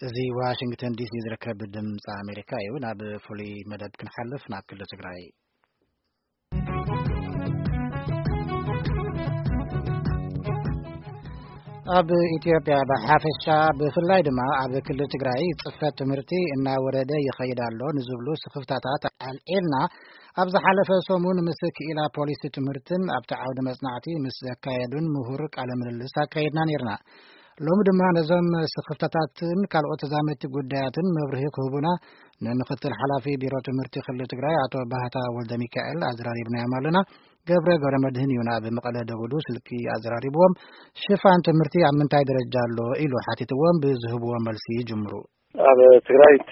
እዚ ዋሽንግተን ዲሲ ዝርከብ ድምፂ ኣሜሪካ እዩ። ናብ ፍሉይ መደብ ክንሓልፍ፣ ናብ ክልል ትግራይ። ኣብ ኢትዮጵያ ብሓፈሻ፣ ብፍላይ ድማ ኣብ ክልል ትግራይ፣ ፅፈት ትምህርቲ እናወረደ ይኸይድ ኣሎ ንዝብሉ ስኽፍታታት ኣልዒልና፣ ኣብ ዝሓለፈ ሰሙን ምስ ክኢላ ፖሊሲ ትምህርትን ኣብቲ ዓውዲ መፅናዕቲ ምስ ዘካየዱን ምሁር ቃለ ምልልስ ኣካየድና ነይርና። ሎሚ ድማ ነዞም ስኽፍታታትን ካልኦት ተዛመድቲ ጉዳያትን መብርሂ ክህቡና፣ ንምክትል ሓላፊ ቢሮ ትምህርቲ ክልል ትግራይ ኣቶ ባህታ ወልደ ሚካኤል ኣዘራሪብናዮም ኣለና። ገብረ ገብረ መድህን እዩ ናብ መቐለ ደውሉ ስልኪ ኣዘራሪብዎም። ሽፋን ትምህርቲ ኣብ ምንታይ ደረጃ ኣሎ ኢሉ ሓቲትዎም፣ ብዝህብዎ መልሲ ይጅምሩ። ኣብ ትግራይ እቲ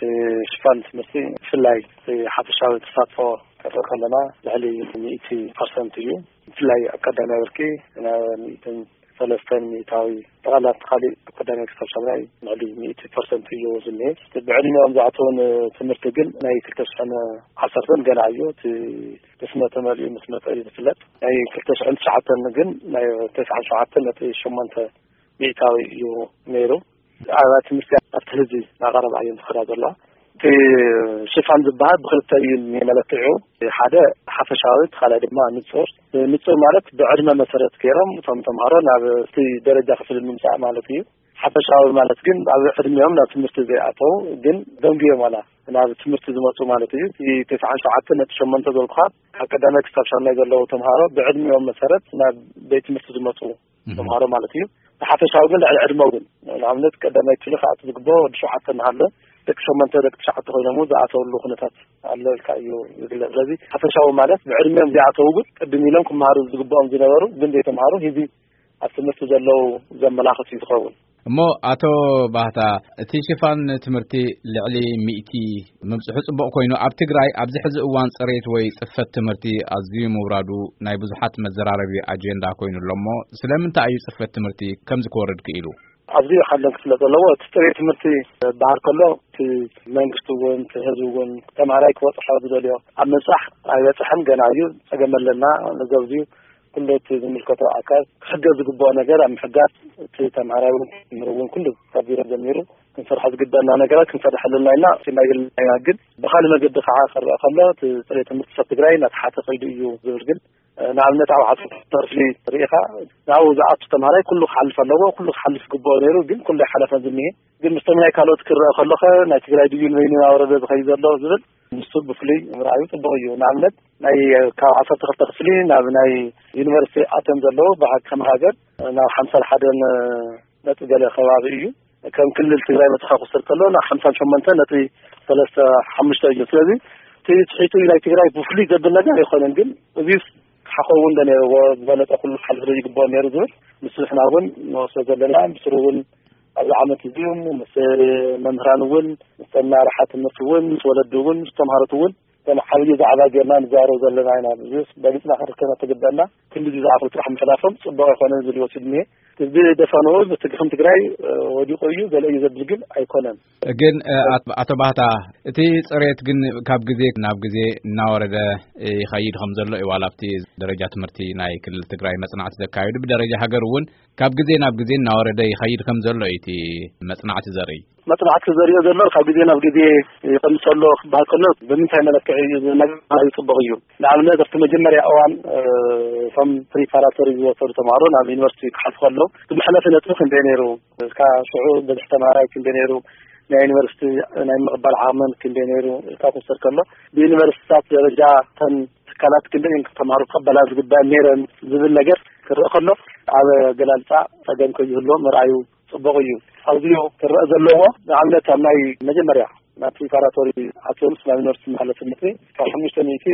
ሽፋን ትምህርቲ፣ ብፍላይ እቲ ሓፈሻዊ ተሳትፎ ክንርኢ ከለና፣ ልዕሊ ሚእቲ ፐርሰንት እዩ። ብፍላይ ኣብ ቀዳማይ ብርኪ ናብ ሚእትን ሰለስተን ሚእታዊ፣ ጠቕላላ እቲ ካሊእ ካብ ቀዳማይ ክሳብ ሻምናይ ልዕሊ ሚእቲ ፐርሰንት እዩ ዝኒሀ። እቲ ብዕድሚኦም ዝኣተውን ትምህርቲ ግን ናይ ክልተ ሽሕን ዓሰርተን ገና እዩ። እቲ ምስ መተ መሊኡ ምስ መጠ እዩ ዝፍለጥ። ናይ ክልተ ሽሕን ትሽዓተን ግን ናይ ተስዓን ሸውዓተን ነጥቢ ሸሞንተ ሚእታዊ እዩ ነይሩ። ኣብ ትምህርቲ ኣብቲ ህዝቢ እናቐረባ እየን ዝኸዳ ዘለዋ። እቲ ሽፋን ዝበሃል ብክልተ እዩ መለክዒኡ። ሓደ ሓፈሻዊ፣ እቲ ካልኣይ ድማ ንጹር። ንጹር ማለት ብዕድመ መሰረት ገይሮም እቶም ተምሃሮ ናብ እቲ ደረጃ ክፍሊ ምምጻእ ማለት እዩ። ሓፈሻዊ ማለት ግን ኣብ ዕድሚኦም ናብ ትምህርቲ ዘይኣተው ግን ደንጉዮም ዋላ ናብ ትምህርቲ ዝመጹ ማለት እዩ። እቲ ተስዓን ሸውዓተን ነጥቢ ሸሞንተ ዘልኩኻ፣ ካብ ቀዳማይ ክሳብ ሻምናይ ዘለዉ ተምሃሮ ብዕድሚኦም መሰረት ናብ ቤት ትምህርቲ ዝመጹ እም። ተምሃሮ ማለት እዩ። ብሓፈሻዊ ግን ልዕሊ ዕድመ እውን፣ ንኣብነት ቀዳማይ ክፍሊ ክኣቱ ዝግብኦ ወዲ ሸውዓተ እናሃለ፣ ደቂ ሸሞንተ፣ ደቂ ትሽዓተ ኮይኖም እውን ዝኣተውሉ ኩነታት ኣሎ ኢልካ እዩ ዝግለጽ። ስለዚ ሓፈሻዊ ማለት ብዕድሚኦም ዘይኣተው ግን ቅድም ኢሎም ክመሃሩ ዝግብኦም ዝነበሩ ግን ዘይተምሃሩ፣ ሕዚ ኣብ ትምህርቲ ዘለዉ ዘመላኽት እዩ ዝኸውን። እሞ ኣቶ ባህታ፣ እቲ ሽፋን ትምህርቲ ልዕሊ ሚእቲ ምብጽሑ ጽቡቕ ኮይኑ፣ ኣብ ትግራይ ኣብዚ ሕዚ እዋን ጽሬት ወይ ጽፈት ትምህርቲ ኣዝዩ ምውራዱ ናይ ብዙሓት መዘራረቢ ኣጀንዳ ኮይኑ ኣሎ። እሞ ስለምንታይ እዩ ጽፈት ትምህርቲ ከምዚ ክወርድ ክኢሉ? ኣብዚ ሓለን ክፍለጥ ዘለዎ፣ እቲ ጽሬት ትምህርቲ ዝበሃል ከሎ፣ እቲ መንግስቲ እውን፣ እቲ ህዝቢ እውን፣ ተምሃራይ ክበጽሖ ዝደልዮ ኣብ ምብጻሕ ኣይበጽሐን፣ ገና እዩ። ጸገም ኣለና። ነዚ ኣብዚ ኩሉ እቲ ዝምልከቶ ኣካል ክሕገዝ ዝግብኦ ነገር ኣብ ምሕጋዝ፣ እቲ ተምሃራይ እውን፣ መምህር እውን፣ ኩሉ ካብ ቢሮ ጀሚሩ ክንሰርሖ ዝግበአና ነገራት ክንሰርሕ ኣለና ኢልና እናበልና ኢና። ግን ብኻልእ መገዲ ከዓ ክረአ ከሎ፣ እቲ ጽሬት ትምህርቲ ሰብ ትግራይ እናተሓተ ከይዱ እዩ ዝብል ግን፣ ንኣብነት ኣብ ዓሰርተ ክፍሊ ርኢኻ፣ ናብኡ ዝኣቱ ተምሃራይ ኩሉ ክሓልፍ ኣለዎ፣ ኩሉ ክሓልፍ ይግብኦ ነይሩ፣ ግን ኩሉ ኣይሓለፈን ዝኒሄ። ግን ምስቶም ናይ ካልኦት ክረአ ከሎኸ፣ ናይ ትግራይ ድዩ ንበይኑ እናወረደ ዝኸይድ ዘሎ ዝብል፣ ንሱ ብፍሉይ ምርኣዩ ጽቡቕ እዩ። ንኣብነት፣ ናይ ካብ ዓሰርተ ክልተ ክፍሊ ናብ ናይ ዩኒቨርሲቲ ኣትዮም ዘለዉ ብሓ-፣ ከም ሃገር ናብ ሓምሳን ሓደን ነጥቢ ገለ ከባቢ እዩ። ከም ክልል ትግራይ መጽኻ ክወስድ ከሎ ናብ ሓምሳን ሸሞንተን ነጥቢ ሰለስተ ሓሙሽተ እዩ። ስለዚ እቲ ትሒቱ ናይ ትግራይ ብፍሉይ ዘብል ነገር ኣይኮነን፣ ግን እዚስ ክሓኸውን ዶ ነይርዎ፣ ዝበለጸ ኩሉ ክሓልፍ ዶ ይግብኦ ነይሩ ዝብል፣ ምስ ንሕና እውን ንወስዶ ዘለና፣ ብስሩ እውን ኣብዚ ዓመት እዚ ምስ መምህራን እውን፣ ምስ መራሕቲ ትምህርቲ እውን፣ ምስ ወለዲ እውን፣ ምስ ተምሃሮት እውን ከም ዓብዪ ዛዕባ ጌርና ንዛረብ ዘለና ኢና። ብዙሕ በሊጽና ክንርከብ ትግበአና። ክንድዚ ዝኣኽል ጥራሕ ምሕላፎም ጽቡቕ ኣይኮነን ዝብል ወሲድ እኒሄ። ህዝቢ ደፈንኡ፣ እቲ ግፍን ትግራይ፣ እ፣ ወዲቑ እዩ፣ ገለ እዩ ዘብል ግን ኣይኮነን። ግን፣ እ፣ ኣት-፣ ኣቶ ባህታ፣ እቲ ጽሬት ግን ካብ ግዜ ናብ ግዜ እናወረደ ይኸይድ ከም ዘሎ እዩ፣ ዋላ ኣብቲ ደረጃ ትምህርቲ ናይ ክልል ትግራይ መጽናዕቲ ዘካየዱ፣ ብደረጃ ሃገር እውን ካብ ግዜ ናብ ግዜ እናወረደ ይኸይድ ከም ዘሎ እዩ እቲ መጽናዕቲ ዘርኢ። መጽናዕቲ ዘርእዮ ዘሎ ካብ ግዜ ናብ ግዜ ይቐንስ ኣሎ ክበሃል ከሎ፣ ብምንታይ መለክዒ እዩ ዝብል ነገር ኣዝዩ ጽቡቕ እዩ። ንኣብነት፣ ኣብቲ መጀመርያ እዋን፣ እ፣ እቶም ፕሪፓራቶሪ ዝወሰዱ ተምሃሮ ናብ ዩኒቨርሲቲ ክሓልፉ ከለዉ፣ እቲ መሕለፊ ነጥቢ ክንደይ ነይሩ? እስካ ሽዑ ብዝሒ ተምሃራይ ክንደይ ነይሩ? ናይ ዩኒቨርሲቲ ናይ ምቕባል ዓቕመን ክንደይ ነይሩ? ኢልካ ክውሰድ ከሎ፣ ብዩኒቨርሲቲታት ደረጃ እተን ትካላት ክንደይ እየን ተምሃሮ ክቐበላ ዝግበኣን ነይረን ዝብል ነገር ክረአ ከሎ፣ ኣብ ኣገላልጻ ጸገም ከይህልዎ ምርኣዩ ጽቡቕ እዩ። ኣዝዩ ክረአ ዘለዎ፣ ንኣብነት፣ ኣብ ናይ መጀመርያ ናብ ፕሪፓራቶሪ ኣትዮም ናብ ዩኒቨርሲቲ መሓለፊ ነጥቢ ካብ ሓሙሽተ ሚእቲ፣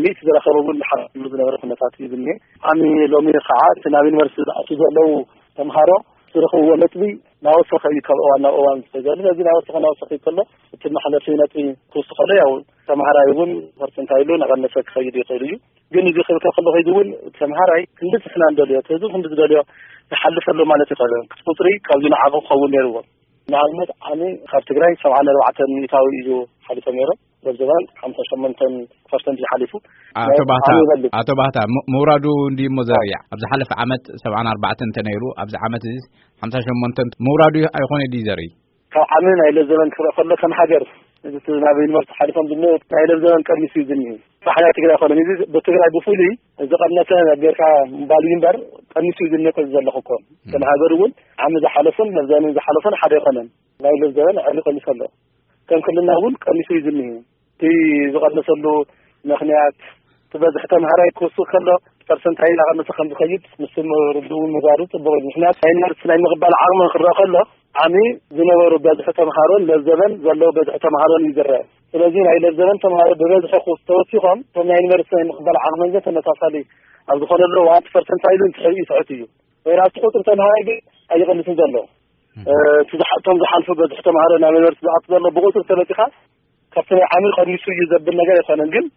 ሚእቲ ዝረኸቡ እውን ዝሓፍሉ ዝነበረ ኩነታት እዩ ዝኒሄ። ዓሚ ሎሚ ከዓ እቲ ናብ ዩኒቨርሲቲ ዝኣትዉ ዘለዉ ተምሃሮ ዝረኽብዎ ነጥቢ እናወሰኸ እዩ ካብ እዋን ናብ እዋን ዝኸይድ ዘሎ። ስለዚ እናወሰኸ፣ እናወሰኸ ከሎ፣ እቲ መሕለፊ ነጥቢ ክውስኸሉ፣ ያው፣ ተምሃራይ እውን ፐርሰንታይሉ እናቐነሰ ክኸይድ ይኽእል እዩ። ግን እዚ ክብል ከሎ ከይዱ እውን ተምሃራይ ክንዲ ንሕና እንደልዮ፣ እቲ ህዝቢ ክንዲ ዝደልዮ ይሓልፍ ኣሎ ማለት ይኽእል። ቁፅሪ ካብዚ ንዓኹ ክኸውን ነይርዎ። ንኣብነት፣ ዓሚ ካብ ትግራይ ሰብዓን ኣርባዕተን ሚእታዊ እዩ ሓሊፎም ነይሮም። በዚ እዋን ሓምሳ ሸሞንተ ፐርሰንት እዩ ሓሊፉ። ኣቶ ናይ ባህታ፣ ዓሚ ይበልጽ። ኣቶ ባህታ፣ ም-፣ ምውራዱ እንድዩ እሞ ዘርኢ። ኣብ ዝሓለፈ ዓመት ሰብዓን ኣርባዕተን እንተ ነይሩ፣ ኣብዚ ዓመት እዚ ሓምሳ ሸሞንተ ምውራዱ ኣይኾነ ድዩ ዘርኢ? ካብ ዓሚ ናይ ለዘበን ክረአ ከሎ ከም ሃገር፣ እዚ ናብ ዩኒቨርሲቲ ሓሊፎም ዝመ ናይ ለዘበን ቀኒሱ እዩ ዝኒሄ። ባሕና ትግራይ ኮነ፣ እዚ ብትግራይ ብፍሉይ ዝቐነሰ ጌርካ ምባል እዩ እምበር፣ ቀኒሱ እዩ ዝኒሄ። ከዚ ዘለኹ እኮ ከም ሃገር እውን ዓሚ ዝሓለፉን ለዘበን ዝሓለፉን ሓደ ኣይኮነን። ናይ ለዘበን ዕሊ ቀኒሱ ኣሎ። ከም ክልልና እውን ቀኒሱ እዩ ዝኒሄ። እቲ ዝቐነሰሉ ምኽንያት፣ እቲ በዝሒ ተምሃራይ ክወስኽ ከሎ ፐርሰንታይ እናቐነሰ ከም ዝኸይድ፣ ንሱ ርድኡ ምግባሩ ጽቡቕ እዩ። ምኽንያት ናይ ዩኒቨርሲቲ ናይ ምቕባል ዓቕሚ ክረአ ከሎ፣ ዓሚ ዝነበሩ በዝሒ ተምሃሮን ለዘበን ዘለዎ በዝሒ ተምሃሮን እዩ ዝረአ። ስለዚ ናይ ለዘበን ተምሃሮ ብበዝሒ ክወስ-፣ ተወሲኾም፣ እቶም ናይ ዩኒቨርሲቲ ናይ ምቕባል ዓቕመን ግን ተመሳሳሊ ኣብ ዝኾነሉ እዋን፣ እቲ ፐርሰንታይ ኢሉ ትሕ-፣ ይትሕት እዩ። ወይራስ ቁጽሪ ተምሃራይ ግን ኣይቕንስን ዘሎ። እ፣ እቲ ዝሓ-፣ እቶም ዝሓልፉ በዝሒ ተምሃሮ ናብ ዩኒቨርሲቲ ዝኣቱ ዘሎ ብቁጽሪ ተመጺኻ፣ ካብቲ ናይ ዓሚ ቀኒሱ እዩ ዘብል ነገር ኣይኮነን፣ ግን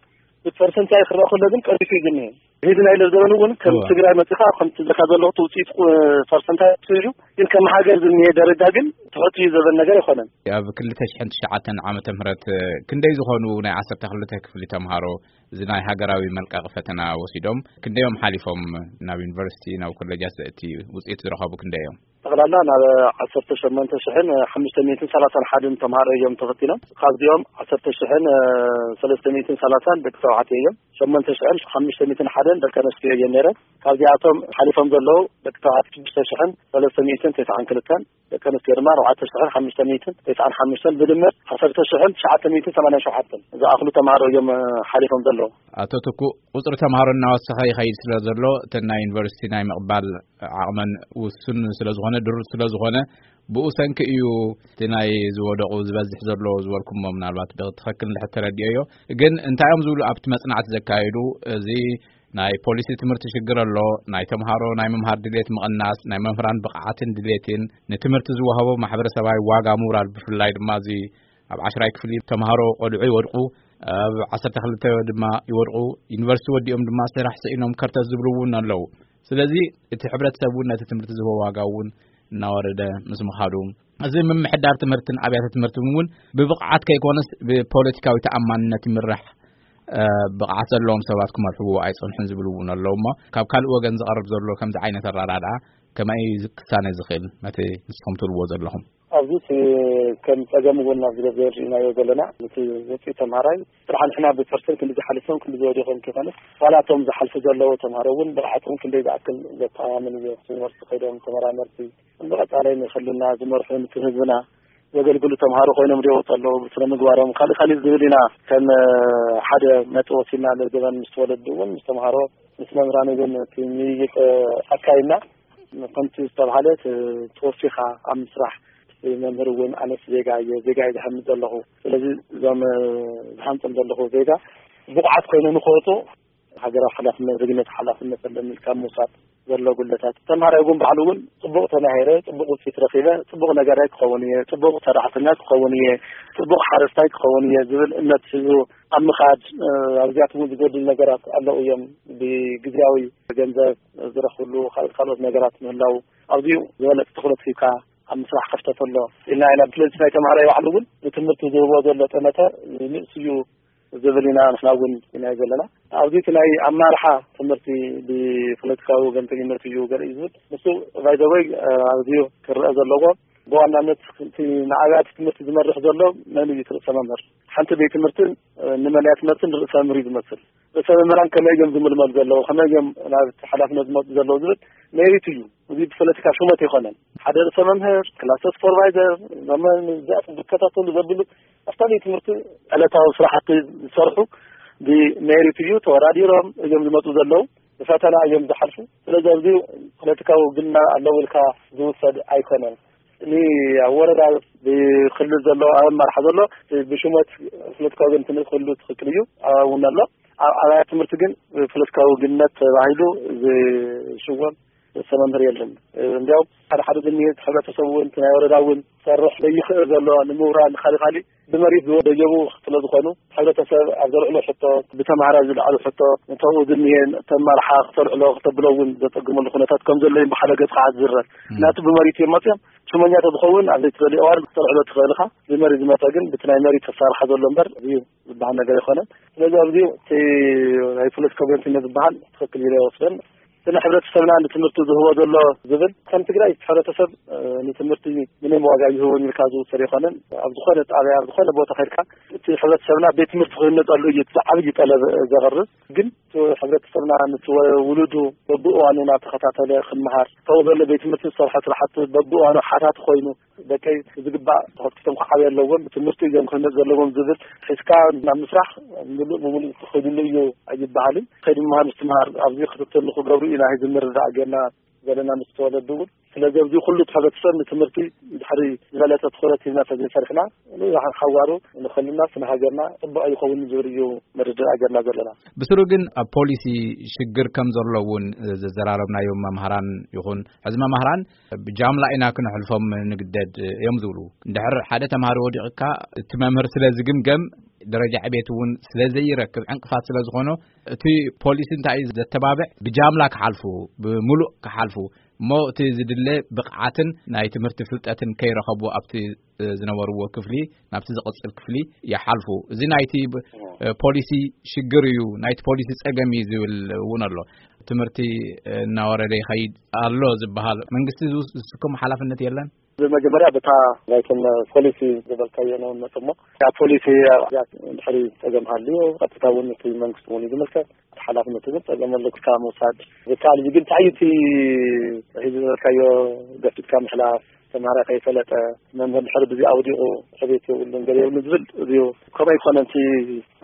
ብፐርሰንታይ ክረአ ከሎ ግን ቀኒሱ እዩ ዝኒሄ። እዚ ናይ ለዘበን እውን ከም እዋ። ትግራይ መጺኻ፣ ከምቲ ዝካ ዘለኹ እቲ ውፅኢት ቁ-፣ ፐርሰንታይ እዩ፣ ግን ከም ሃገር ዝኒሄ ደረጃ ግን ትሑት እዩ ዘብል ነገር ኣይኮነን። ኣብ ክልተ ሽሕን ትሽዓተን ዓመተ ምህረት ክንደይ ዝኾኑ ናይ ዓሰርተ ክልተ ክፍሊ ተምሃሮ እዚ ናይ ሃገራዊ መልቀቂ ፈተና ወሲዶም፣ ክንደዮም ሓሊፎም ናብ ዩኒቨርሲቲ፣ ናብ ኮሌጃት ዘእቲ ውፅኢት ዝረኸቡ ክንደዮም? ጠቕላላ ናብ ዓሰርተ ሸሞንተ ሽሕን ሓሙሽተ ሚእትን ሰላሳን ሓደን ተምሃሮ እዮም ተፈቲኖም። ካብዚኦም ዓሰርተ ሽሕን ሰለስተ ሚእትን ሰላሳን ደቂ ተባዕትዮ እዮም። ሸሞንተ ሽሕን ሓሙሽተ ሚእትን ሓደን ደቂ ኣንስትዮ እዮም ነይረን። ካብዚኣቶም ሓሊፎም ዘለዉ ደቂ ተባዕትዮ ሽዱሽተ ሽሕን ሰለስተ ሚእትን ተስዓን ክልተን፣ ደቂ ኣንስትዮ ድማ ኣርባዕተ ሽሕን ሓሙሽተ ሚእትን ተስዓን ሓሙሽተን፣ ብድምር ዓሰርተ ሽሕን ትሽዓተ ሚእትን ሰማንያን ሸውዓተን ዝኣኽሉ ተምሃሮ እዮም ሓሊፎም ዘለዉ። ኣቶ ትኩእ፣ ቁጽሪ ተምሃሮ እናወሰኸ ይኸይድ ስለ ዘሎ፣ እተን ናይ ዩኒቨርሲቲ ናይ ምቕባል ዓቕመን ውሱን ስለ ዝኾነ፣ ድሩት ስለ ዝኾነ፣ ብኡ ሰንኪ እዩ እቲ ናይ ዝወደቑ ዝበዝሕ ዘሎ ዝበልኩሞ፣ ምናልባት ብትኽክል እንድሕር ተረዲኦዮ። ግን እንታይ እዮም ዝብሉ ኣብቲ መጽናዕቲ ዘካየዱ? እዚ ናይ ፖሊሲ ትምህርቲ ሽግር ኣሎ፣ ናይ ተምሃሮ ናይ ምምሃር ድሌት ምቕናስ፣ ናይ መምህራን ብቕዓትን ድሌትን፣ ንትምህርቲ ዝወሃቦ ማሕበረሰባዊ ዋጋ ምውራድ፣ ብፍላይ ድማ እዚ ኣብ ዓሽራይ ክፍሊ ተምሃሮ ቆልዑ ይወድቁ፣ ኣብ ዓሰርተ ክልተ ድማ ይወድቁ፣ ዩኒቨርሲቲ ወዲኦም ድማ ስራሕ ስኢኖም ከርተት ዝብሉ እውን ኣለዉ። ስለዚ እቲ ሕብረተሰብ እውን ነቲ ትምህርቲ ዝህቦ ዋጋ እውን እናወረደ ምስ ምኻዱ፣ እዚ ምምሕዳር ትምህርትን ኣብያተ ትምህርትን እውን ብብቕዓት ከይኮነስ ብፖለቲካዊ ተኣማንነት ይምራሕ፣ እ፣ ብቕዓት ዘለዎም ሰባት ክመርሕዎ ኣይጸንሑን ዝብሉ እውን ኣለዉ። እሞ ካብ ካልእ ወገን ዝቐርብ ዘሎ ከምዚ ዓይነት ኣረዳድኣ ከመይ ክሳነ ዝኽእል ነቲ ንስኹም ትብልዎ ዘለኹም? ኣብዚ እቲ ከም ጸገም እውን ኣብዚ ደረጃ ርኢናዮ ዘለና፣ እቲ ውፅኢት ተምሃራይ ጥራሕ ንሕና ብፐርሰንት ክንዲ ዝሓልፎም ክንዲ ዝወደቖም ከይኮነስ፣ ዋላ እቶም ዝሓልፉ ዘለዉ ተምሃሮ እውን ብቕዓቶም ክንደይ ዝኣክል ዘተኣማምን እዩ። ዩኒቨርሲቲ ከይዶም ተመራመርቲ፣ ብቐጻሊ ንክልልና ዝመርሑ፣ ነቲ ህዝብና ዘገልግሉ ተምሃሮ ኮይኖም ዶ ይወፁ ኣለዉ፣ ብስነ ምግባሮም ካልእ ካልእ ዝብል ኢና ከም ሓደ ነጥቢ ወሲድና። ለዘበን ምስ ተወለዱ እውን ምስ ተምሃሮ ምስ መምህራን እውን እቲ ምይይጥ ኣካይድና። ከምቲ ዝተባህለ ተ-፣ ተወፊኻ ኣብ ምስራሕ፣ መምህር እውን ኣነስ ዜጋ እየ፣ ዜጋ እየ ዝሃንፅ ዘለኹ። ስለዚ እዞም፣ እ፣ ዝሃንፅም ዘለኹ ዜጋ ብቑዓት ኮይኖም ንክወፁ ሃገራዊ ሓላፍነት፣ ዜግነት ሓላፍነት ኣለኒ ኢልካ ምውሳድ ዘሎ ጉድለታት። ተምሃራይ እውን ባዕሉ እውን ጽቡቕ ተማሂረ፣ ጽቡቕ ውፅኢት ረኺበ፣ ጽቡቕ ነጋዳይ ክኸውን እየ፣ ጽቡቕ ሰራሕተኛ ክኸውን እየ፣ ጽቡቕ ሓረስታይ ክኸውን እየ ዝብል እምነት ሒዙ ኣብ ምኻድ፣ እ፣ ኣብዚኣቶም እውን ዝጎድሉ ነገራት ኣለዉ እዮም። ብግዝያዊ ገንዘብ ዝረኽብሉ ካልኦት ካልኦት ነገራት ምህላው፣ ኣብዚኡ ዝበለጸ ትኹረት ሂብካ ኣብ ምስራሕ ክፍተት ኣሎ ኢልና ኢና። ስለዚ ናይ ተምሃራይ ባዕሉ እውን ንትምህርቲ ዝህቦ ዘሎ ጠመተ ንእስ እዩ ዝብል ኢና ንሕና እውን ኢናዮ ዘለና። ኣብዚ እቲ ናይ ኣማርሓ ትምህርቲ ብፖለቲካዊ ወገንተኝነት እዩ ገለ እዩ ዝብል። ንሱ ባይዘወይ ኣዝዩ ክረአ ዘለዎ፣ ብዋናነት እቲ ንኣብያተ ትምህርቲ ዝመርሕ ዘሎ መን እዩ? እቲ ርእሰ መምህር። ሓንቲ ቤት ትምህርትን፣ እ፣ ንመንያ ትምህርትን ርእሰ መምህር እዩ ዝመስል። ርእሰ መምህራን ከመይ እዮም ዝምልመሉ ዘለዉ፣ ከመይ እዮም ናብ እቲ ሓላፍነት ዝመፁ ዘለዉ ዝብል ሜሪት እዩ። እዚ ብፖለቲካ ሹመት ኣይኮነን። ሓደ ርእሰ መምህር፣ ክላስተር ሱፐርቫይዘር፣ እዞም እዚኣቶም ዝከታተሉ ዘብሉ ኣብታ ቤት ትምህርቲ ዕለታዊ ስራሕቲ ዝሰርሑ ብሜሪት እዩ። ተወዳዲሮም እዮም ዝመፁ ዘለዉ፣ ብፈተና እዮም ዝሓልፉ። ስለዚ ኣብዚ ፖለቲካዊ ውግንና ኣለዎ ኢልካ ዝውሰድ ኣይኮነን። ኒ ኣብ ወረዳ ብክልል ዘሎ፣ ኣብ ኣመራርሓ ዘሎ ብሹመት ፖለቲካዊ ወገንትነት ክህሉ ትኽክል እዩ፣ ኣብኡ እውን ኣሎ። ኣብ ኣብያተ ትምህርቲ ግን ብፖለቲካዊ ውግንነት ተባሂሉ ዝሽወም ርእሰ መምህር የለን። እንዲያውም ሓደ ሓደ ግን ሕብረተሰብ እውን፣ እቲ ናይ ወረዳ እውን ክሰርሕ ዘይኽእል ዘሎ፣ ንምውራን ካልእ ካልእ ብመሪት ዝወደጀቡ ስለ ዝኾኑ፣ ሕብረተሰብ ኣብ ዘልዕሎ ሕቶ፣ ብተምሃራይ ዝለዓሉ ሕቶ፣ እንተኡ ዝኒሄ ተመርሓ ክተልዕሎ ክተብሎ እውን ዘጸግመሉ ኩነታት ከም ዘሎ እዩ ብሓደ ገጽ ከዓ ዝዝረብ። እም። ናቱ ብመሪት እዮም መጽዮም። ሽመኛ ተዝኸውን ኣብ ዘይትደልዮ እዋን ክተልዕሎ ትኽእል ኢኻ። ብመሪት ዝመጸ ግን ብቲ ናይ መሪት ተሳርሓ ዘሎ እምበር፣ እዚ ዝበሃል ነገር ኣይኮነን። ስለዚ ኣብዚ እቲ ናይ ፖለቲካ ወገንተኝነት ዝበሃል ትኽክል ኢለ ይወስደን። ስለ ሕብረተሰብና ንትምህርቲ ዝህቦ ዘሎ ዝብል ከም ትግራይ እቲ ሕብረተሰብ ንትምህርቲ ምንም ዋጋ ይህቦን ኢልካ ዝውሰድ ኣይኮነን። ኣብ ዝኾነ ጣብያ ኣብ ዝኾነ ቦታ ከድካ እቲ ሕብረተሰብና ቤት ትምህርቲ ክህነፀሉ እዩ እቲ ዓብዪ ጠለብ ዘቕርብ። ግን እቲ ሕብረተሰብና ምስ ውሉዱ በብእዋኑ እናተኸታተለ ክመሃር፣ ካብኡ ዘሎ ቤት ትምህርቲ ዝሰርሖ ስራሕቲ በብእዋኑ ሓታቲ ኮይኑ፣ ደቀይ ብዝግባእ ተኸትኪቶም ክዓብዩ ኣለዎም፣ ትምህርቲ እዮም ክህነፅ ዘለዎም ዝብል ሒዝካ ናብ ምስራሕ ምሉእ ብምሉእ ክኸድሉ እዩ ኣይበሃልን። ከይዲ ምምሃር ምስትምሃር ኣብዚ ክትትል ክገብሩ ኢና ዝምርዳእ ጌርና ዘለና ምስ ተወለዱ እውን። ስለዚ ኣብዚ ኩሉ እቲ ሕብረተሰብ ንትምህርቲ ድሕሪ ዝበለፀ ትኹረት ሂብና ተዘይሰሪሕና ንሓዋሩ ንኸልና ስነ ሃገርና ፅቡቅ ኣይኸውን ዝብል እዩ መርድእ ሃገርና ዘለና። ብስሩ ግን ኣብ ፖሊሲ ሽግር ከም ዘሎ እውን ዘዘራረብናዮም መምሃራን ይኹን ሕዚ መምሃራን ብጃምላ ኢና ክንሕልፎም ንግደድ እዮም ዝብሉ። እንድሕር ሓደ ተምሃሪ ወዲቕካ እቲ መምህር ስለ ዝግምገም ደረጃ ዕቤት እውን ስለ ዘይረክብ ዕንቅፋት ስለ ዝኾኖ እቲ ፖሊሲ እንታይ እዩ ዘተባብዕ ብጃምላ ክሓልፉ ብሙሉእ ክሓልፉ እሞ እቲ ዝድለ ብቕዓትን ናይ ትምህርቲ ፍልጠትን ከይረኸቡ ኣብቲ ዝነበርዎ ክፍሊ ናብቲ ዝቕጽል ክፍሊ ይሓልፉ። እዚ ናይቲ ብ- ፖሊሲ ሽግር እዩ፣ ናይቲ ፖሊሲ ጸገም እዩ ዝብል እውን ኣሎ። ትምህርቲ እናወረደ ይኸይድ ኣሎ ዝበሃል መንግስቲ ዝውስ- ዝስከሞ ሓላፍነት የለን። ብመጀመርያ በታ ናይቶም ፖሊሲ ዝበልካዮ ነው መጽሞ ያ ፖሊሲ ድሕሪ ጸገም ሃልዩ ቀጥታ እውን እቲ መንግስቲ እውን እዩ ዝምልከት። ሓላፍነቱ ግን ጸገም ኣለካ ምውሳድ ዝከኣል እዩ። ግን እንታይ እቲ ሒዙ ዝበልካዮ ገፊትካ ምሕላፍ ተምሃራይ ከይፈለጠ መምህር ድሕሪ ብዚ ኣውዲቑ ዕቤት የብሉን ገለ የብሉን ዝብል እዚዩ ከምኡ ኣይኮነን። እቲ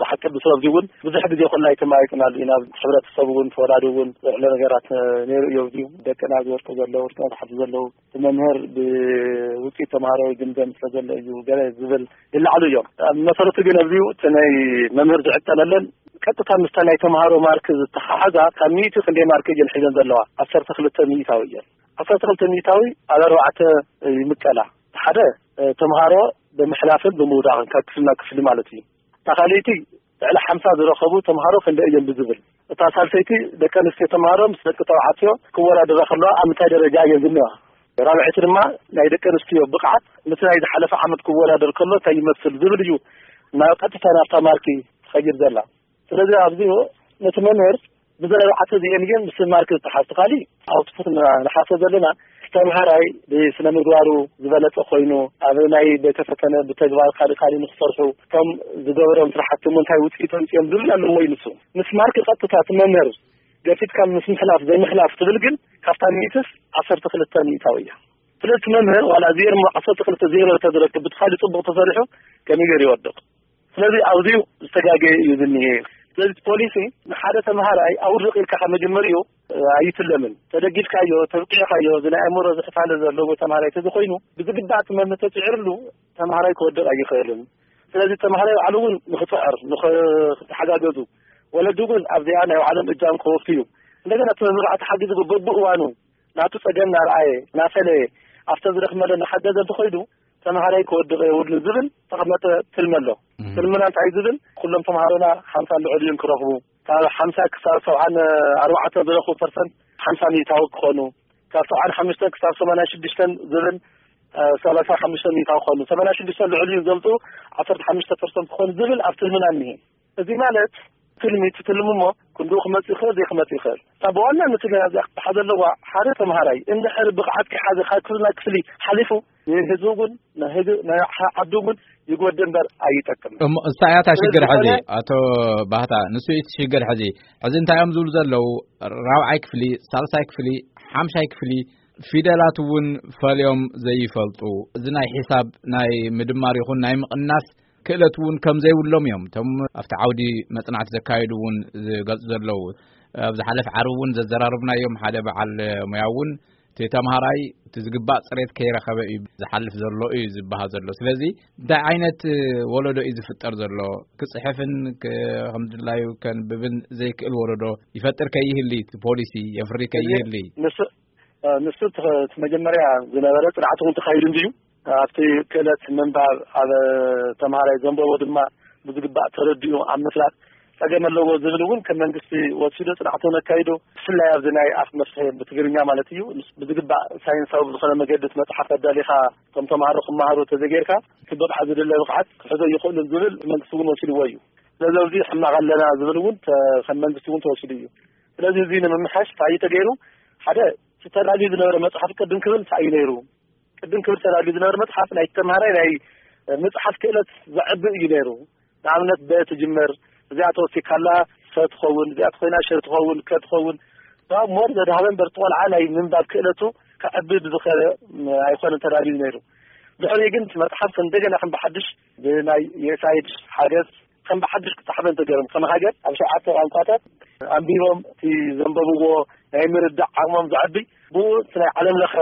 ብሓቂ ብስረብዚ እውን ብዙሕ ግዜ ኮና ኣይተማይጥናሉ ኢና። ኣብ ሕብረተሰብ እውን ተወላዲ እውን ዝዕለ ነገራት ነይሩ እዩ። እዚዩ ደቅና ዝወድቁ ዘለዉ ወድቅና ዝሓቱ ዘለዉ እቲ መምህር ብውፅኢት ተምሃሮ ይግምገም ስለ ዘሎ እዩ ገለ ዝብል ይለዓሉ እዮም። ኣብ መሰረቱ ግን ኣብዚዩ እቲ ናይ መምህር ዝዕቀነለን ቀጥታ ምስታ ናይ ተምሃሮ ማርክ ዝተሓሓዛ ካብ ሚእቲ ክንደይ ማርክ እየን ሒዘን ዘለዋ? ዓሰርተ ክልተ ሚእታዊ እየን። ዓሰርተ ክልተ ሚእታዊ ኣብ ኣርባዕተ ይምቀላ። ሓደ ተምሃሮ ብምሕላፍን ብምውዳቕን ካብ ክፍሊ ናብ ክፍሊ ማለት እዩ። እታ ካልኣይቲ ልዕሊ ሓምሳ ዝረኸቡ ተምሃሮ ክንደይ እዮም ብዝብል፣ እታ ሳልሰይቲ ደቂ ኣንስትዮ ተምሃሮ ምስ ደቂ ተባዕትዮ ክወዳደራ ከለዋ ኣብ ምንታይ ደረጃ እየን ዝኒዋ? ራብዐይቲ ድማ ናይ ደቂ ኣንስትዮ ብቕዓት ምስ ናይ ዝሓለፈ ዓመት ክወዳደር ከሎ እንታይ ይመስል ዝብል እዩ ናብ ቀጥታ ናብታ ማርኪ ትኸይድ ዘላ። ስለዚ ኣብዚ ነቲ መምህር ብዘረባዕተ እዚአን እየን ምስ ማርክ ዝተሓዝቲ። ካሊእ ኣውትፑት ንሓሰብ ዘለና ተምሃራይ ብስነ ምግባሩ ዝበለጸ ኮይኑ ኣብ ናይ ቤተ ፈተነ ብተግባር ካልእ ካልእ ንክሰርሑ እቶም ዝገበሮም ስራሕቲ እሞ እንታይ ውፅኢት ኣምፅኦም ዝብል ኣለዎ እዩ ንሱ። ምስ ማርክ ቀጥታ እቲ መምህር ገፊትካ ምስ ምሕላፍ ዘይምሕላፍ ትብል ግን ካብታ ሚእትስ ዓሰርተ ክልተ ሚእታዊ እያ። ስለዚ እቲ መምህር ዋላ ዜሮ ዓሰርተ ክልተ ዜሮ ተዝረክብ ብቲ ካልእ ፅቡቅ ተሰሪሑ ከመይ ገይሩ ይወድቅ? ስለዚ ኣብዚዩ ዝተጋገየ እዩ ዝኒሄ። ስለዚ እቲ ፖሊሲ ንሓደ ተምሃራይ ኣውድቕ ኢልካ ካብ መጀመሪኡ ኣይትለምን። ተደጊፍካዮ፣ ተብቂዕካዮ፣ እዚ ናይ ኣእምሮ ዝሕፋለ ዘለዎ ተምሃራይ ተዝኮይኑ ብዝግባእ እቲ መምህር ተፅዒርሉ ተምሃራይ ክወድቕ ኣይኽእልን። ስለዚ ተምሃራይ ባዕሉ እውን ንክፅዕር ንክተሓጋገዙ ወለዲ እውን ኣብዚኣ ናይ ባዕሎም እጃም ከወፍዩ እንደገና እቲ መምህር ተሓጊዙ በብእዋኑ ናቱ ጸገም እናረኣየ እናፈለየ ኣብተ ዝደኽመለ እናሓገዘ እንተኾይኑ ተምሃራይ ክወድቕ የብሉን ዝብል ተቐመጠ ትልሚ ኣሎ። እም። ትልምና እንታይ ዝብል ኩሎም ተምሃሮና ሓምሳ ልዕሊኡን ክረኽቡ ካብ ሓምሳ ክሳብ ሰብዓን ኣርባዕተ ዝረኽቡ ፐርሰንት ሓምሳ ሚእታዊ ክኾኑ ካብ ሰብዓን ሓሙሽተን ክሳብ ሰማንያ ሽዱሽተን ዝብል እ፣ ሰላሳ ሓሙሽተ ሚእታዊ ክኾኑ ሰማንያ ሽዱሽተ ልዕሊኡ ዘምፅኡ ዓሰርተ ሓሙሽተ ፐርሰንት ክኾኑ ዝብል ኣብ ትልምና እኒሄ። እዚ ማለት ትልሚ ትትልም እሞ ክንድኡ ክመጽእ ይኽእል ዘይክመጽእ ይኽእል። እታ ብዋናነት ግን ኣብዚኣ ክትሓዝ ኣለዋ ሓደ ተምሃራይ እንድሕር ብቕዓት ከይሓዘ ካብ ክፍሊ ናብ ክፍሊ ሓሊፉ ንህዝቡ እውን ንህግ- ንዓዱ እውን ይጎድእ እምበር ኣይጠቅምን። እሞ እሳ እያ እታ ሽግር ሕዚ ዝኾነ ኣቶ ባህታ ንሱ እቲ ሽግር ሕዚ ሕዚ እንታይ እዮም ዝብሉ ዘለዉ ራብዓይ ክፍሊ ሳልሳይ ክፍሊ ሓምሻይ ክፍሊ ፊደላት እውን ፈልዮም ዘይፈልጡ እዚ ናይ ሒሳብ ናይ ምድማር ይኹን ናይ ምቕናስ ክእለት እውን ከም ዘይብሎም እዮም እቶም ኣብቲ ዓውዲ መፅናዕቲ ዘካየዱ እውን ዝገልፁ ዘለዉ። ኣብ ዝሓለፈ ዓርቢ እውን ዘዘራረብናዮም ሓደ በዓል ሙያ እውን እቲ ተምሃራይ እቲ ዝግባእ ፅሬት ከይረኸበ እዩ ዝሓልፍ ዘሎ እዩ ዝበሃል ዘሎ። ስለዚ እንታይ ዓይነት ወለዶ እዩ ዝፍጠር ዘሎ? ክፅሕፍን ከምድላዩ ከንብብን ዘይክእል ወለዶ ይፈጥር ከይህሊ ፖሊሲ የፍሪ ከይህሊ ንሱ እቲ መጀመርያ ዝነበረ ፅንዓት እውን ተካይዱ እንድዩ ኣብቲ ክእለት ምንባብ ኣብ ተምሃራይ ዘንበቦ ድማ ብዝግባእ ተረዲኡ ኣብ ምፍላጥ ፀገም ኣለዎ ዝብል እውን ከም መንግስቲ ወሲዶ ፅንዓት እውን ኣካይዶ ብፍላይ ኣብዚ ናይ ኣፍ መፍትሒ ብትግርኛ ማለት እዩ ብዝግባእ ሳይንሳዊ ብዝኾነ መገዲ መፅሓፍ ኣዳሊኻ እቶም ተምሃሮ ክመሃሩ ተዘጌርካ እቲ ብቕዓት ዝድለ ብቕዓት ክሕዞ ይኽእሉን ዝብል መንግስቲ እውን ወሲድዎ እዩ። ስለዚ ኣብዚ ሕማቕ ኣለና ዝብል እውን ከም መንግስቲ እውን ተወሲዱ እዩ። ስለዚ እዚ ንምምሓሽ እንታይ እዩ ተገይሩ? ሓደ እቲ ተዳልዩ ዝነበረ መፅሓፍ ቅድም ክብል እንታይ እዩ ነይሩ? ቅድም ክብል ተዳልዩ ዝነበረ መፅሓፍ ናይ ተምሃራይ ናይ ምፅሓፍ ክእለት ዘዕቢ እዩ ነይሩ። ንኣብነት በ ትጅመር፣ እዚኣ ተወሲካላ ሰ ትኸውን፣ እዚኣ ተኮይና ሸ ትኸውን፣ ከ ትኸውን። ካብ ሞር ዘድሃበ እምበር እቲ ቆልዓ ናይ ምንባብ ክእለቱ ከዕቢ ብዝኸ ኣይኮነን ተዳልዩ ነይሩ። ድሕሪ ግን እቲ መፅሓፍ እንደገና ከም ብሓድሽ ብናይ ዩኤስኣይድ ሓገዝ ከም ብሓድሽ ክፃሕፈ እንተገይሮም፣ ከም ሃገር ኣብ ሸውዓተ ቋንቋታት ኣንቢቦም እቲ ዘንበብዎ ናይ ምርዳእ ዓቕሞም ዘዕቢ፣ ብኡ እቲ ናይ ዓለም ለኸ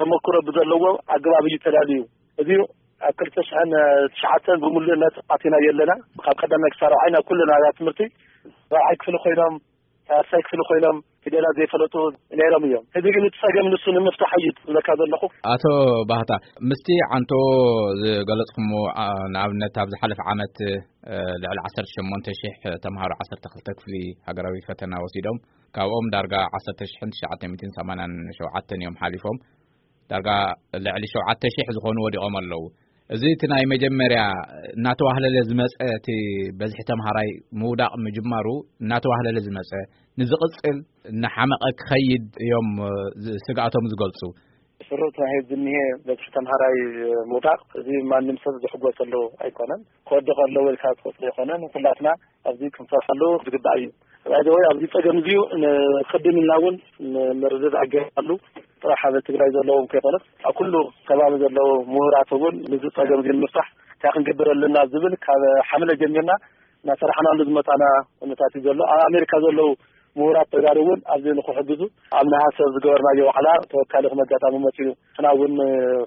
ተመክሮ ብዘለዎ ኣገባብ እዩ ተዳልዩ። እዚ ኣብ ክልተ ሽሕን ትሽዓተን ብምሉእነት ኣቲና ኣለና። ካብ ቀዳማይ ክሳብ ራብዓይ ናብ ኩለን ኣብያተ ትምህርቲ ራብዓይ ክፍሊ ኮይኖም፣ ሳልሳይ ክፍሊ ኮይኖም ፊደላት ዘይፈለጡ ነይሮም እዮም። ሕዚ ግን እቲ ጸገም ንሱ ንምፍታሕ እዩ ዝብለካ ዘለኹ። ኣቶ ባህታ፣ ምስቲ ዓንቶ ዝገለጽኩሞ፣ ኣ፣ ንኣብነት ኣብ ዝሓለፈ ዓመት፣ እ፣ ልዕሊ ዓሰርተ ሸሞንተ ሽሕ ተምሃሮ ዓሰርተ ክልተ ክፍሊ ሃገራዊ ፈተና ወሲዶም፣ ካብኦም ዳርጋ ዓሰርተ ሽሕን ትሽዓተ ሚእትን ሰማንያን ሸውዓተን እዮም ሓሊፎም። ዳርጋ ልዕሊ ሸውዓተ ሽሕ ዝኾኑ ወዲቖም ኣለዉ። እዚ እቲ ናይ መጀመርያ እናተዋህለለ ዝመጸ፣ እቲ በዝሒ ተምሃራይ ምውዳቕ ምጅማሩ እናተዋህለለ ዝመጸ፣ ንዝቕጽል እናሓመቐ ክኸይድ እዮም፣ እ፣ ዝ-፣ ስግኣቶም ዝገልጹ። ስሩዕ ተባሂሉ ዝኒሄ በዝሒ ተምሃራይ ምውዳቕ፣ እዚ ማንም ሰብ ዝሕጎሰሉ ኣይኮነን። ክወድቕ ኣለዎ ኢልካ ትቆጽሮ ኣይኮነን። ኩላትና ኣብዚ ክንሰርሐሉ ዝግባእ እዩ። ባይዘወይ ኣብዚ ጸገም እዚዩ ንቅድም ኢልና እውን ንምርድዳእ ገይርናሉ። ጥራሕ ኣብ ትግራይ ዘለዎም ከይኮነስ ኣብ ኩሉ ከባቢ ዘለዉ ምሁራት እውን ነዚ ጸገም እዚ ንምፍታሕ እንታይ ክንገብር ኣለና ዝብል ካብ ሓምለ ጀሚርና እናሰራሕናሉ ዝመጻና ኩነታት እዩ ዘሎ። ኣብ ኣሜሪካ ዘለዉ ምሁራት ተጋሩ እውን ኣብዚ ንክሕግዙ ኣብ ነሃሰ ዝገበርናዮ ዋዕላ ተወካሊ ከም ኣጋጣሚ መጺኡ ንሕና እውን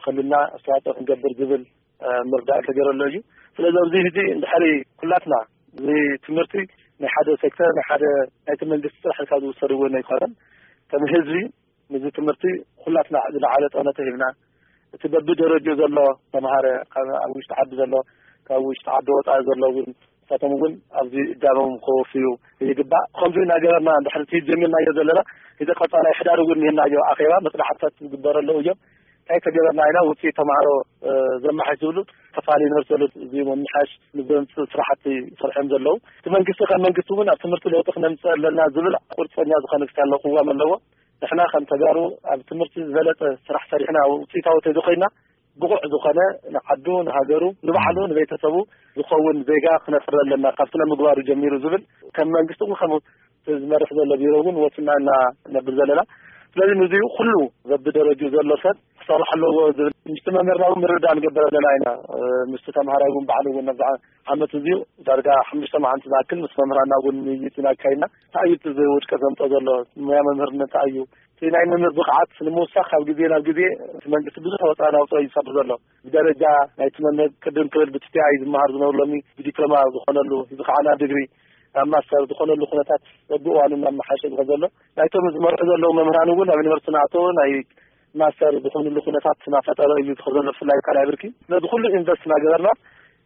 ክልና ኣስተዋፅኦ ክንገብር ዝብል እ፣ ምርዳእ ተገይረሎ እዩ። ስለዚ ኣብዚ ሕዚ እንድሕሪ ኩላትና እዚ ትምህርቲ ናይ ሓደ ሴክተር ናይ ሓደ ናይቲ መንግስቲ ጥራሕ ኢልካ ዝውሰድ እውን ኣይኮነን። ከም ህዝቢ ነዚ ትምህርቲ ኩላትና ዝለዓለ ጠመተ ሂብና እቲ በብደረጅኡ ዘሎ ተምሃረ ካብ ኣብ ውሽጢ ዓዲ ዘሎ ካብ ውሽጢ ዓዲ ወፃኢ ዘሎ እውን ንሳቶም እውን ኣብዚ እጃሞም ከወፍዩ ይግባእ። ከምዚ እናገበርና እንድሕሪ እቲ ጀሚርናዮ ዘለና እዚ ቀፃላይ ሕዳር እውን ንህናዮ ኣኼባ መፅናዕትታት ዝግበረሉ እዮም። እንታይ ተገበርና ኢና ውፅኢት ተምሃሮ፣ እ፣ ዘመሓሽ ዝብሉ ተፋሊ ዩኒቨርሲቲ ዘሎ እዚ ምምሓሽ ንዘምፅእ ስራሕቲ ይሰርሑ እዮም ዘለዉ። እቲ መንግስቲ ከም መንግስቲ እውን ኣብ ትምህርቲ ለውጢ ክነምፅእ ኣለና ዝብል ቁርፀኛ ዝኾነ ክሳለ ቅዋም ኣለዎ። ንሕና ከም ተጋሩ ኣብ ትምህርቲ ዝበለፀ ስራሕ ሰሪሕና ውፅኢታዊ ተዘኮይና ብቑዕ ዝኾነ ንዓዱ፣ ንሃገሩ፣ ንባዕሉ፣ ንቤተሰቡ ዝኸውን ዜጋ ክነፍሪ ኣለና ካብ ስነ ምግባሩ ጀሚሩ ዝብል ከም መንግስቲ እውን ከም ዝመርሕ ዘሎ ቢሮ እውን ወሲና ኢና ነብል ዘለና። ስለዚ ንዚኡ ኩሉ በብደረጅኡ ዘሎ ሰብ ክሰርሕ ኣለዎ ዝብል ምስቲ መምህርና እውን ምርዳእ ንገብር ኣለና ኢና። እ፣ ምስቲ ተምሃራይ እውን ባዕሉ እውን ነብዚ ዓመት እዚኡ ዳርጋ ሓሙሽተ መዓልቲ ዝኣክል ምስ መምህራና እውን ምይይጥ ኢና ኣካይድና። እንታይ እዩ እቲ ውድቀት ዘምፅኦ ዘሎ? ሞያ መምህርነት እንታይ እዩ? እቲ ናይ መምህር ብቕዓት ንምውሳኽ ካብ ግዜ ናብ ግዜ እቲ መንግስቲ ብዙሕ ወፃኢ ናውፅኦ እዩ ዝሰርሕ ዘሎ። ብደረጃ ናይቲ መምህር ቅድም ክብል ብትቲኣ እዩ ዝመሃር ዝነብሩ ሎሚ ብዲፕሎማ ዝኾነሉ፣ እዚ ከዓ ናብ ድግሪ ናብ ማስተር ዝኾነሉ ኩነታት በብእዋኑ እናመሓየሸ ዝኸ ዘሎ። ናይቶም ዝመርሑ ዘለዉ መምህራን እውን ኣብ ዩኒቨርሲቲ ናእቶ ናይ ማስተር ዝኾኑሉ ኩነታት እናፈጠረ እዩ ዝኸ ዘሎ፣ ብፍላይ ካልኣይ ብርኪ። ነዚ ኩሉ ኢንቨስት እናገበርና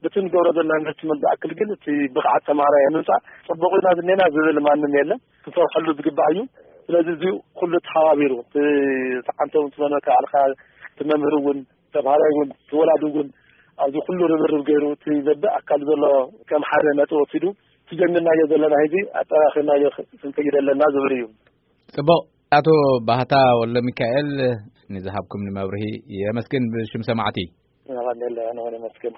በቲ ንገብሮ ዘለና ኢንቨስትመንት ዝኣክል ግን እቲ ብቕዓት ተምሃራይ ንምምፃእ ፅቡቕ ኢና ዝኔና ዝብል ማንም የለን። ክንሰርሐሉ ዝግባእ እዩ። ስለዚ እዚ ኩሉ ተሓባቢሩ እቲ ተዓንቶም ትመነካ ኣልካ እቲ መምህር እውን ተምሃራይ እውን እቲ ወላዲ እውን ኣብዚ ኩሉ ርብርብ ገይሩ እቲ ዘበ ኣካል ዘሎ ከም ሓደ ነጥቢ ወሲዱ እቲ ጀሚርናዮ ዘለና ሕዚ ኣጠራኺርናዮ ክንከይድ ኣለና ዝብል እዩ። ጽቡቕ። ኣቶ ባህታ ወልደ ሚካኤል፣ ንዝሃብኩም ንመብርሂ የመስግን ብሽም ሰማዕቲ። ኣቐኒለ ኣነ እውን የመስግን።